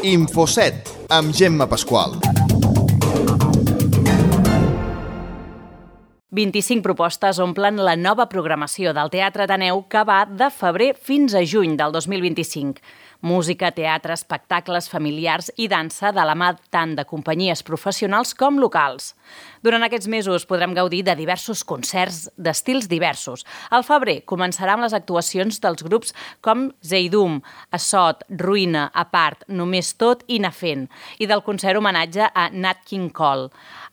Infoset, amb Gemma Pasqual. 25 propostes omplen la nova programació del Teatre Ateneu que va de febrer fins a juny del 2025. Música, teatre, espectacles familiars i dansa de la mà tant de companyies professionals com locals. Durant aquests mesos podrem gaudir de diversos concerts d'estils diversos. Al febrer començarà amb les actuacions dels grups com Zeidum, Assot, Ruïna, Apart, Només Tot i Nafent, i del concert homenatge a Nat King Cole.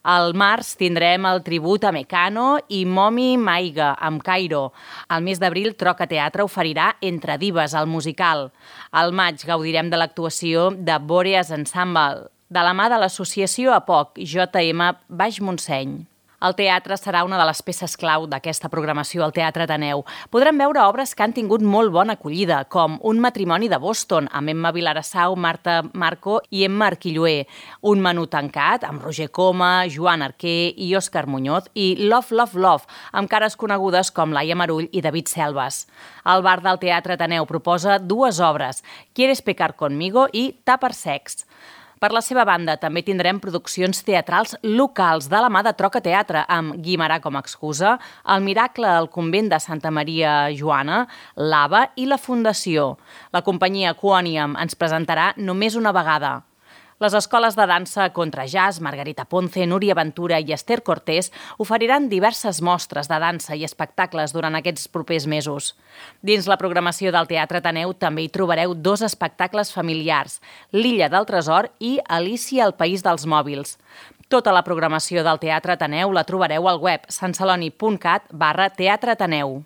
Al març tindrem el tribut a Mecano i Momi Maiga, amb Cairo. Al mes d'abril, Troca Teatre oferirà Entre Dives, el musical. Al maig gaudirem de l'actuació de Boreas Ensemble, de la mà de l'associació APOC, JM Baix Montseny. El teatre serà una de les peces clau d'aquesta programació al Teatre Ateneu. Podrem veure obres que han tingut molt bona acollida, com Un matrimoni de Boston, amb Emma Vilarassau, Marta Marco i Emma Arquilloé, Un menú tancat, amb Roger Coma, Joan Arquer i Òscar Muñoz, i Love, Love, Love, amb cares conegudes com Laia Marull i David Selves. El bar del Teatre Ateneu proposa dues obres, ¿Quieres pecar conmigo? I Tàper sex. Per la seva banda, també tindrem produccions teatrals locals de la mà de Troca Teatre, amb Guimarà com a excusa, El miracle al convent de Santa Maria Joana, l'Ava i la Fundació. La companyia Quoniam ens presentarà Només una vegada. Les escoles de dansa Contra Jazz, Margarita Ponce, Núria Ventura i Esther Cortés oferiran diverses mostres de dansa i espectacles durant aquests propers mesos. Dins la programació del Teatre Ateneu també hi trobareu dos espectacles familiars, L'Illa del Tresor i Alícia al País dels Mòbils. Tota la programació del Teatre Ateneu la trobareu al web santceloni.cat/teatreateneu.